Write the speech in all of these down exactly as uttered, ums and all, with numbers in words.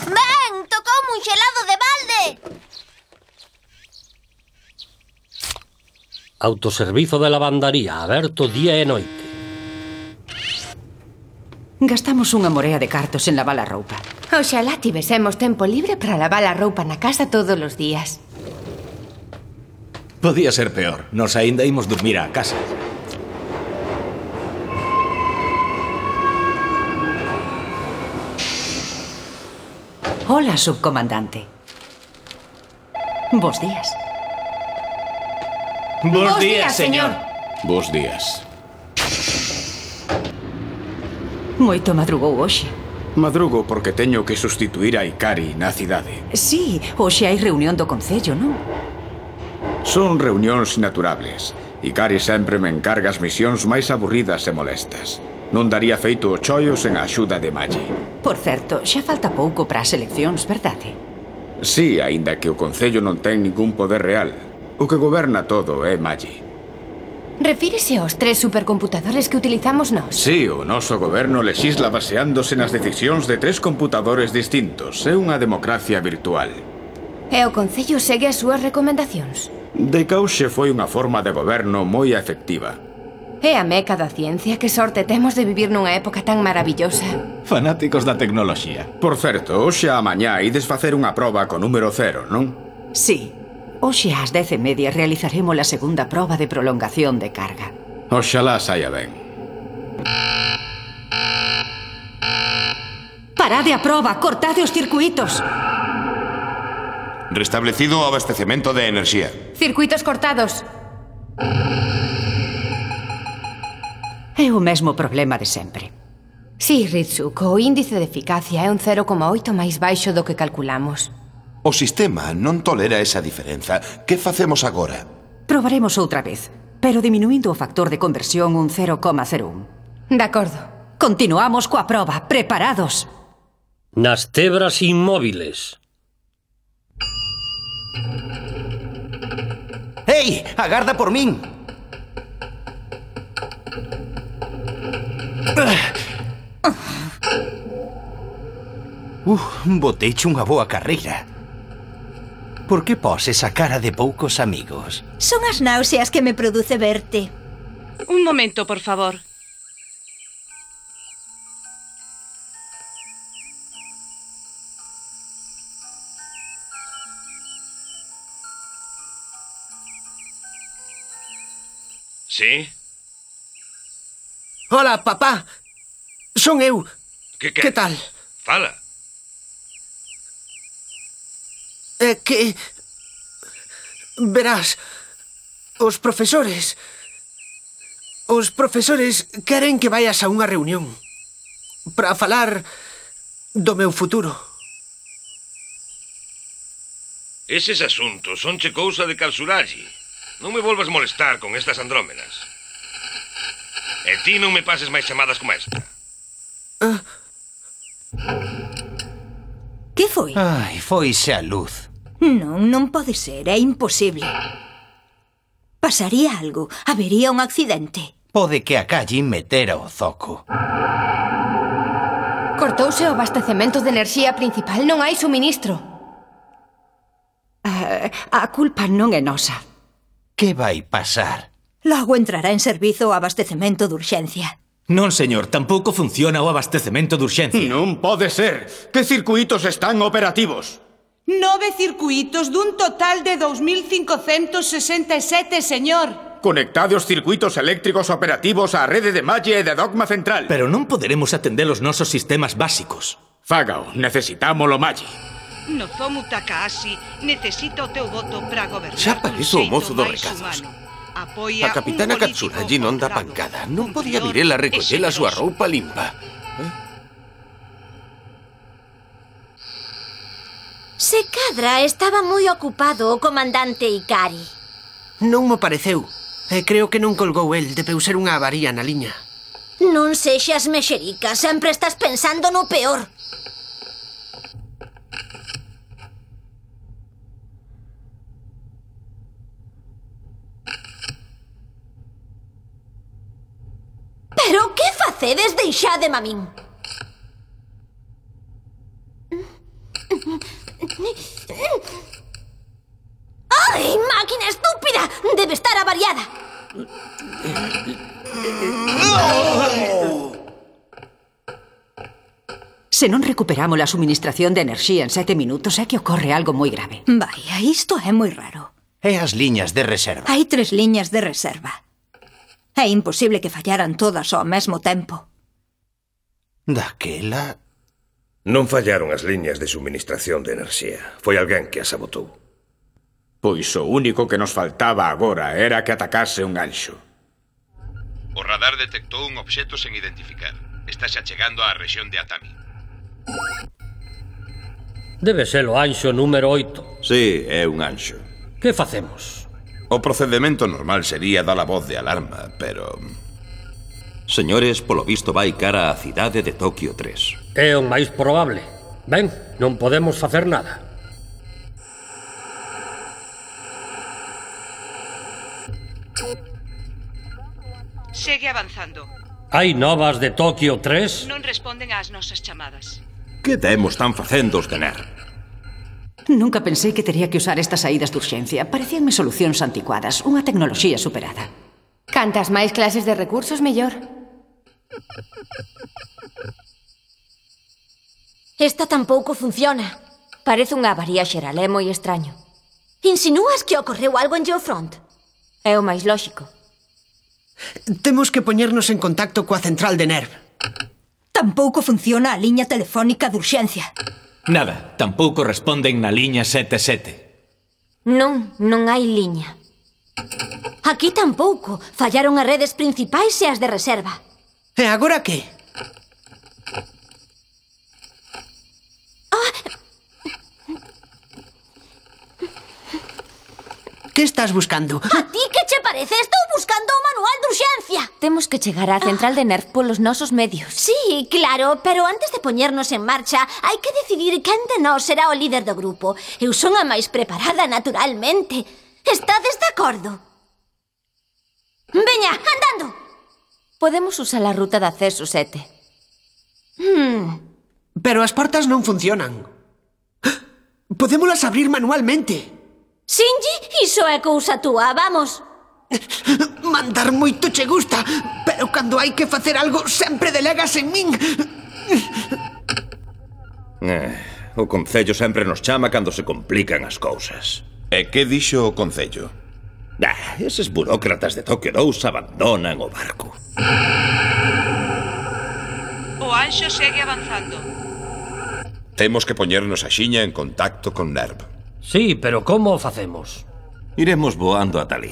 Ben, tocoume un xelado de balde! Autoservizo de lavandaría, aberto día e noite. Gastamos unha morea de cartos en lavar a roupa. Oxalá tivesemos tempo libre para lavar a roupa na casa todos os días. Podía ser peor. Nos aínda imos dormir á casa. Hola, subcomandante. Bos días. Bos días, señor. Bos días. Moito madrugou hoxe. Madrugo porque teño que sustituir a Ikari na cidade. Sí, hoxe hai reunión do Concello, non? Son reunións inaturables. Ikari sempre me encarga as misións máis aburridas e molestas. Non daría feito o chollo sen a axuda de Maggi. Por certo, xa falta pouco para as eleccións, verdade? Sí, aínda que o Concello non ten ningún poder real. O que goberna todo é Maggi. Refírese aos tres supercomputadores que utilizamos nós? Sí, o noso goberno lexisla baseándose nas decisións de tres computadores distintos. É unha democracia virtual. E o Concello segue as súas recomendacións? De cauxe foi unha forma de goberno moi efectiva. É a meca da ciencia, que sorte temos de vivir nunha época tan maravillosa. Fanáticos da tecnoloxía. Por certo, hoxe a mañá ides facer unha proba con número cero, non? Sí. Hoxe ás dez e media realizaremos a segunda proba de prolongación de carga. Oxalá saia ben. Parade a proba, cortade os circuitos. Restablecido o abastecemento de enerxía. Circuitos cortados. É o mesmo problema de sempre. Sí, Ritsuko, o índice de eficacia é un cero coma oito máis baixo do que calculamos. O sistema non tolera esa diferenza. Que facemos agora? Probaremos outra vez, pero diminuindo o factor de conversión un cero coma cero un. De acordo. Continuamos coa proba. Preparados. Nas tebras inmóviles. Ei, agarda por min. Uh, boteiche unha boa carreira. Por que poses a cara de poucos amigos? Son as náuseas que me produce verte. Un momento, por favor. Sí? Hola, papá. Son eu. Que, que? Que tal? Fala. É que... Verás, os profesores... Os profesores queren que vayas a unha reunión para falar do meu futuro. Eses asuntos sonche cousa de calzuralle. Non me volvas molestar con estas andrómenas. E ti non me pases máis chamadas como esta. Ah. Que foi? Ai, foise a luz. Non, non pode ser, é imposible. Pasaría algo, habería un accidente. Pode que a calle metera o zoco. Cortouse o abastecemento de enerxía principal, non hai suministro. Uh, a culpa non é nosa. Que vai pasar? Logo entrará en servizo o abastecemento de urxencia. Non, señor, tampouco funciona o abastecemento de urxencia. Non pode ser. Que circuitos están operativos? Nove circuitos dun total de dous mil cincocentos sesenta e sete, señor. Conectade os circuitos eléctricos operativos á rede de Maggi e de Dogma Central. Pero non poderemos atender os nosos sistemas básicos. Fágao, necesitámolo Maggi. Nozomu Takahashi necesita o teu voto para gobernar. Xa parece o mozo dos recados. A capitana Katsuragi non dá pancada. Non podía vir ela recoller a súa roupa limpa. Eh? Se cadra estaba moi ocupado o comandante Ikari. Non mo pareceu. E creo que non colgou el, debeu ser unha avaría na liña. Non sexas mexerica, sempre estás pensando no peor. Pero que facedes? Deixademe a min. Se non recuperamos a suministración de enerxía en sete minutos é que ocorre algo moi grave. Vaya, isto é moi raro. E as liñas de reserva? Hai tres liñas de reserva. É imposible que fallaran todas ao mesmo tempo. Daquela... Non fallaron as liñas de suministración de enerxía. Foi alguén que as sabotou. Pois o único que nos faltaba agora era que atacase un ganxo. O radar detectou un obxecto sen identificar. Está xa chegando á rexión de Atami. Debe ser o anxo número oito. Sí, é un anxo. Que facemos? O procedimento normal sería dar a voz de alarma, pero... Señores, polo visto vai cara á cidade de Tokio tres. É o máis probable. Ben, non podemos facer nada. Segue avanzando. Hai novas de Tokio tres? Non responden ás nosas chamadas. Que demos están facendo os de N E R? Nunca pensei que tería que usar estas saídas de urxencia. Parecíanme solucións anticuadas, unha tecnoloxía superada. Cantas máis clases de recursos, mellor. Esta tampouco funciona. Parece unha avaría xeral, é moi extraño. Insinúas que ocorreu algo en Geofront? É o máis lóxico. Temos que poñernos en contacto coa central de N E R V. Tampouco funciona a liña telefónica de urxencia. Nada, tampouco responden na liña sete sete. Non, non hai liña. Aquí tampouco. Fallaron as redes principais e as de reserva. E agora que? Ah. Que estás buscando? A ti que che parece? Estou buscando o manual de urxencia. Temos que chegar á central de N E R V polos nosos medios. Sí, claro, pero antes de poñernos en marcha hai que decidir quen de nós será o líder do grupo. Eu son a máis preparada, naturalmente. Estades de acordo? Veña, andando. Podemos usar a ruta de acceso sete. Hmm. Pero as portas non funcionan. Podémolas abrir manualmente. Shinji, iso é cousa túa, vamos. Mandar moito che gusta, pero cando hai que facer algo sempre delegas en min. Eh, o Concello sempre nos chama cando se complican as cousas. E que dixo o Concello? Ah, eses burócratas de Tokio dous abandonan o barco. O anxo segue avanzando. Temos que poñernos axiña en contacto con N E R V. Sí, pero como o facemos? Iremos voando ata ali.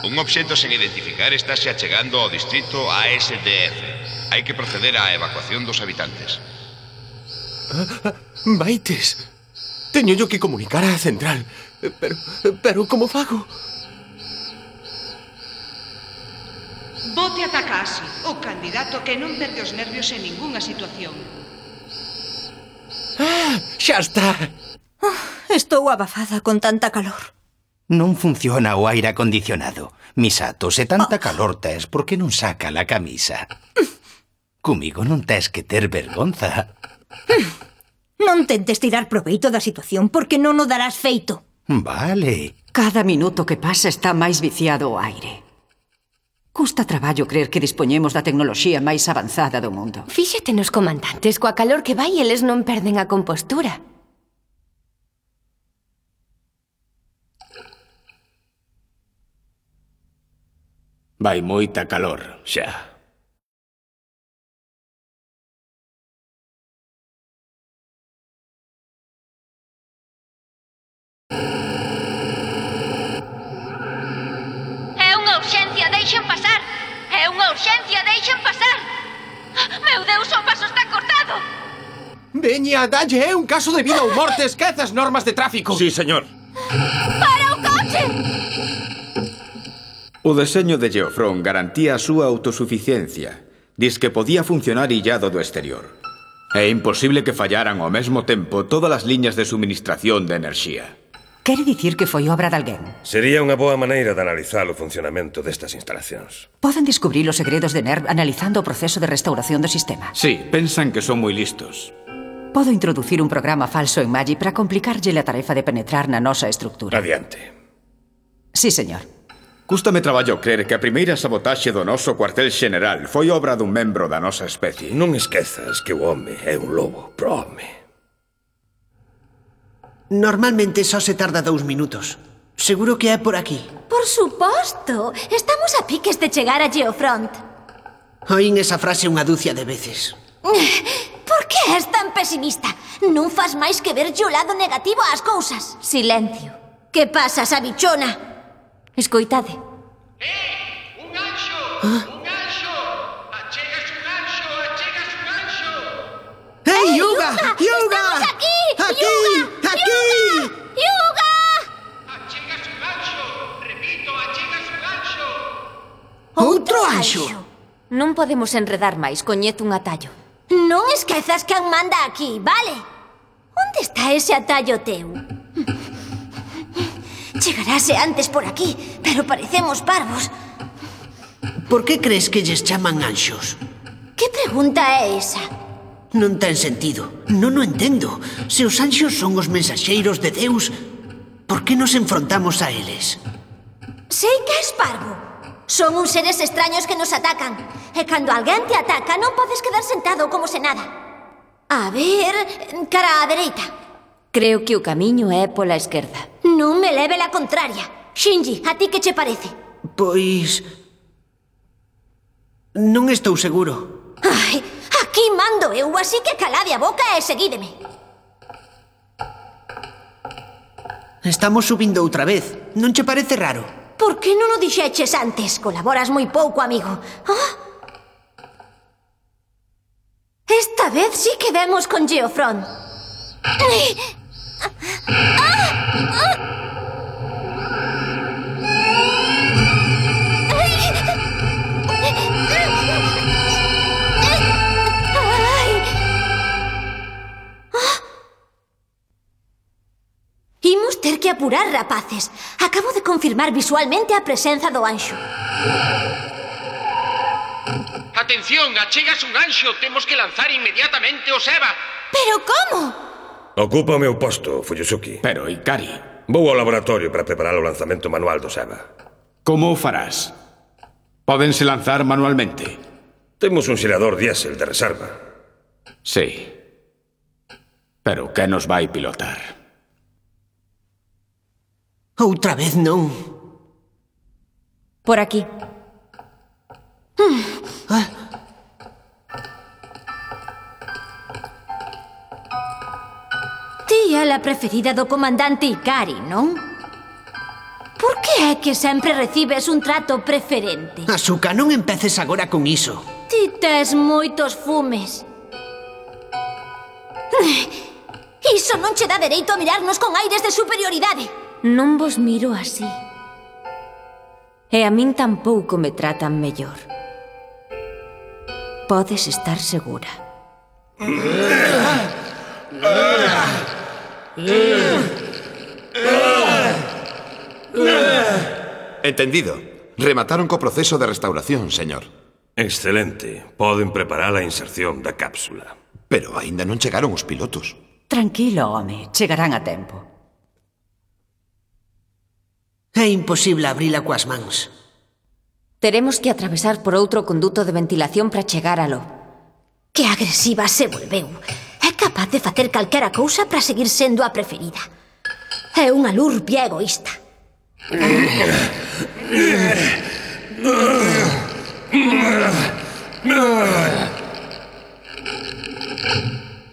Un obxecto sen identificar está xa chegando ao distrito A S D F. Hai que proceder á evacuación dos habitantes. Maites, teño yo que comunicar á central. Pero, pero como fago? Bote a Takashi, o candidato que non perde os nervios en ningunha situación. Ah, xa está. Oh, estou abafada con tanta calor. Non funciona o aire acondicionado. Misato, se tanta oh. calor tes, por que non saca la camisa? Comigo non tes que ter vergonza. Non tentes tirar proveito da situación porque non o darás feito. Vale. Cada minuto que pasa está máis viciado o aire. Custa traballo creer que dispoñemos da tecnoloxía máis avanzada do mundo. Fíxate nos comandantes, coa calor que vai, eles non perden a compostura. Vai moita calor, xa. É unha urxencia, deixen pasar. É unha urxencia, deixen pasar. Meu Deus, o paso está cortado. Veña, dalle, é un caso de vida ou morte, esquece as normas de tráfico. Sí, señor. Para o coche! O deseño de Geofront garantía a súa autosuficiencia. Diz que podía funcionar illado do exterior. É imposible que fallaran ao mesmo tempo todas as liñas de suministración de enerxía. Quere dicir que foi obra de alguén? Sería unha boa maneira de analizar o funcionamento destas instalacións. Poden descubrir os segredos de N E R V analizando o proceso de restauración do sistema. Sí, pensan que son moi listos. Podo introducir un programa falso en Magi para complicarlle a tarefa de penetrar na nosa estructura. Adiante. Sí, señor. Cústame traballo crer que a primeira sabotaxe do noso cuartel xeneral foi obra dun membro da nosa especie. Non esquezas que o home é un lobo, prome. Normalmente só se tarda dous minutos. Seguro que é por aquí. Por suposto. Estamos a piques de chegar a Geofront. Oín esa frase unha dúcia de veces. Por que és tan pesimista? Non fas máis que ver o lado negativo ás cousas. Silencio. Que pasa, sabichona? Escoitade. Eh, un anxo! Ah? Un anxo! Achegas un anxo! Achegas un anxo! Hey, Yuga! Yuga! ¡Estamos aquí! ¡Aquí! Yuga! ¡Aquí! ¡Yuga! Achegas un anxo! Repito, achegas un anxo! Outro anxo! Non podemos enredar máis, coñezo un atallo. Non esquezas que an manda aquí, vale? Onde está ese atallo teu? Chegarase antes por aquí, pero parecemos parvos. Por que crees que lles chaman anxos? Que pregunta é esa? Non ten sentido. Non o entendo. Se os anxos son os mensaxeiros de Deus, por que nos enfrontamos a eles? Sei que és parvo. Son uns seres extraños que nos atacan. E cando alguén te ataca, non podes quedar sentado como se nada. A ver, cara á dereita. Creo que o camiño é pola esquerda. Non me leve la contraria. Shinji, a ti que che parece? Pois... non estou seguro. Ai, aquí mando eu, así que calade a boca e seguídeme. Estamos subindo outra vez. Non che parece raro? Por que non o dixeches antes? Colaboras moi pouco, amigo. Ah? Esta vez sí que vemos con Geofront. Imos ter que apurar, rapaces. Acabo de confirmar visualmente a presenza do anxo. Atención, achegas un anxo. Temos que lanzar inmediatamente o Seba. Pero como? Ocupa o meu posto, Fuyusuki. Pero, Ikari... Vou ao laboratorio para preparar o lanzamento manual do Seba. Como o farás? Pódense lanzar manualmente? Temos un xerador diésel de reserva. Sí. Pero que nos vai pilotar? Outra vez non. Por aquí. Hmm. Ah. Ti é a preferida do comandante Ikari, non? Por que é que sempre recibes un trato preferente? Asuka, non empeces agora con iso. Ti tes moitos fumes. Iso non che dá dereito a mirarnos con aires de superioridade. Non vos miro así. E a min tampouco me tratan mellor. Podes estar segura. Entendido. Remataron co proceso de restauración, señor. Excelente. Poden preparar a inserción da cápsula. Pero aínda non chegaron os pilotos. Tranquilo, home. Chegarán a tempo. É imposible abrila coas mans. Teremos que atravesar por outro conduto de ventilación para chegar aló. Que agresiva se volveu. É capaz de facer calquera cousa para seguir sendo a preferida. É unha lurpia egoísta.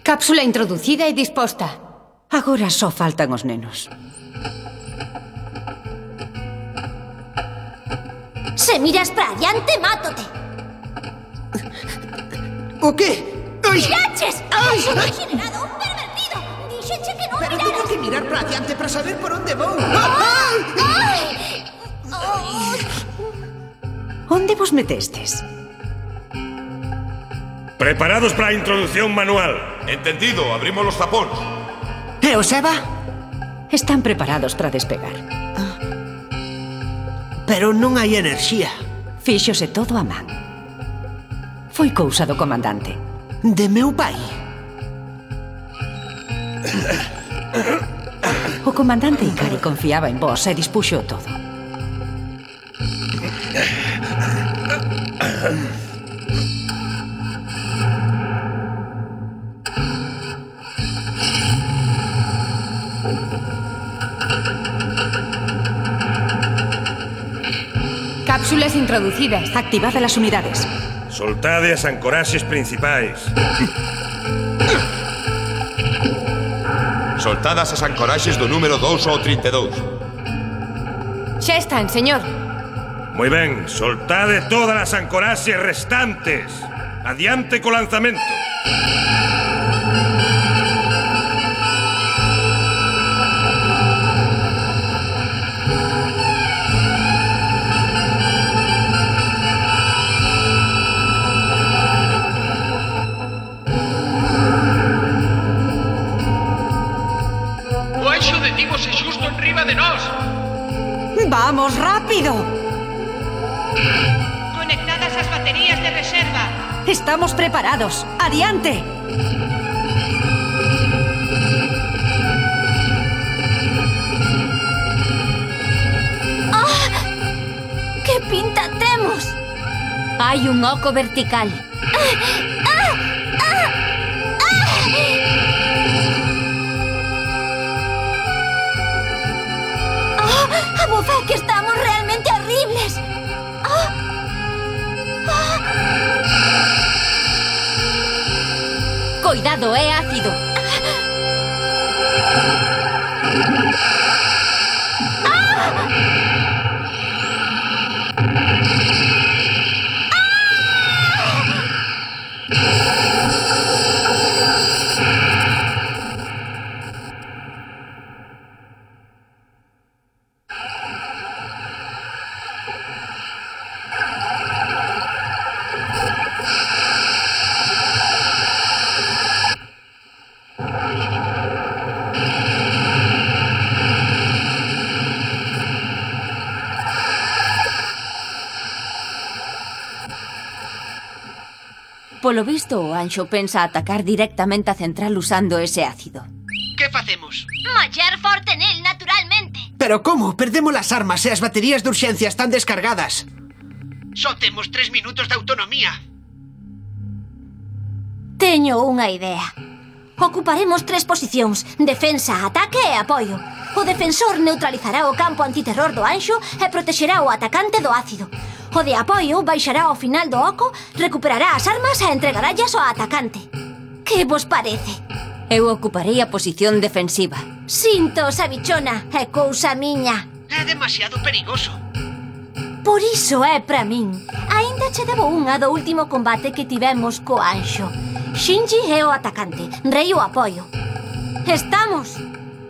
Cápsula introducida e disposta. Agora só faltan os nenos. Se miras para adiante, mátote. O que? Ai! ¡Miraches! ¡Ai! ¡Un degenerado, un pervertido! Dixeche que non Pero miraras. tengo que mirar para adiante para saber por onde vou. ¡Ai! ¡Ai! Onde vos metestes? Preparados para a introducción manual. Entendido, abrimos los zapóns. E o Seba? Están preparados para despegar. Pero non hai enerxía. Fíxose todo a man. Foi cousa do comandante. De meu pai? O comandante Ikari confiaba en vos e dispuxo todo. Cápsulas introducidas. Activad las unidades. Soltade as ancoraxes principais. Soltadas as ancoraxes do número dous ao trinta e dous. Xa están, señor. Moi ben, soltade todas as ancoraxes restantes. Adiante co lanzamento. O Anxo detívose xusto enriba de nós. ¡Vamos, rápido! Conectadas as baterías de reserva. Estamos preparados. ¡Adiante! ¡Ah! ¡Que pinta temos! Hai un oco vertical. ¡Ah! ¡Ah! ¡Ah! ¡Ah! ¡Ah! ¡A bofa que estamos realmente horribles! ¡Ah! ¡Ah! Coidado, é ácido. Polo visto, o Anxo pensa atacar directamente a central usando ese ácido. Que facemos? Mallar forte nel, naturalmente. Pero como? Perdemos as armas e as baterías de urxencia están descargadas. Só temos tres minutos de autonomía. Teño unha idea. Ocuparemos tres posicións: defensa, ataque e apoio. O defensor neutralizará o campo antiterror do Anxo e protexerá o atacante do ácido. O de apoio baixará ao final do oco, recuperará as armas e entregarallas ao atacante. Que vos parece? Eu ocuparei a posición defensiva. Sinto, sabichona, é cousa miña. É demasiado perigoso. Por iso é pra min. Aínda che debo unha do último combate que tivemos co Anxo. Shinji é o atacante, Rei o apoio. Estamos?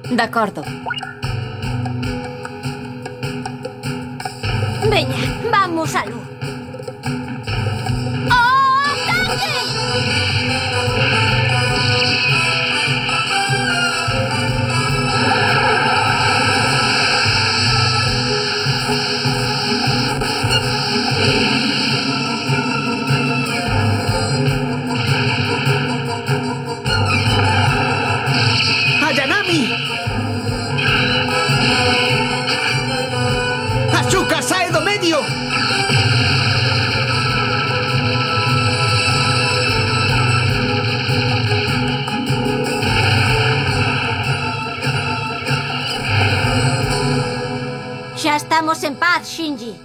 De acordo. Veña, vamos a luz. ¡Oh, ataque! ¡Ayanami! ¡Asuka sae do medio! Xa estamos en paz, Shinji.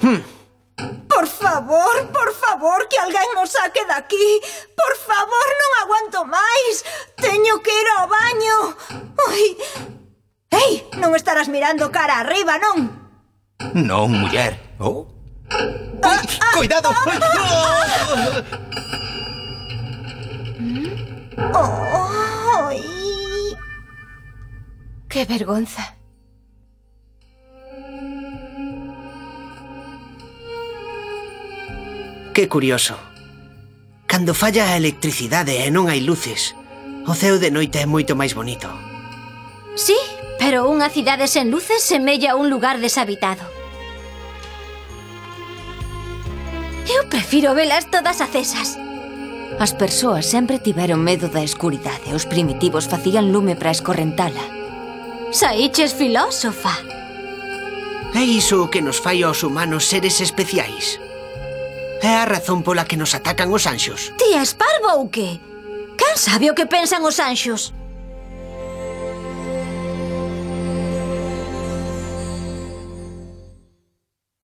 Hmm. Por favor, por favor, que alguén nos saque daqui. Por favor, non aguanto máis. Teño que ir ao baño. Ai. Ei, non estarás mirando cara arriba, non? Non, muller. Oh. Ah, ah, ¡Cuidado! Oh, ai. Que vergonza. Que curioso. Cando falla a electricidade e non hai luces, o ceo de noite é moito máis bonito. Sí, pero unha cidade sen luces semella un lugar deshabitado. Eu prefiro velas todas acesas. As persoas sempre tiveron medo da escuridade. Os primitivos facían lume para escorrentala. Saíches filósofa. É iso o que nos fai aos humanos seres especiais. É a razón pola que nos atacan os anxos. Ti és parvo ou que? Quen sabe o que pensan os anxos?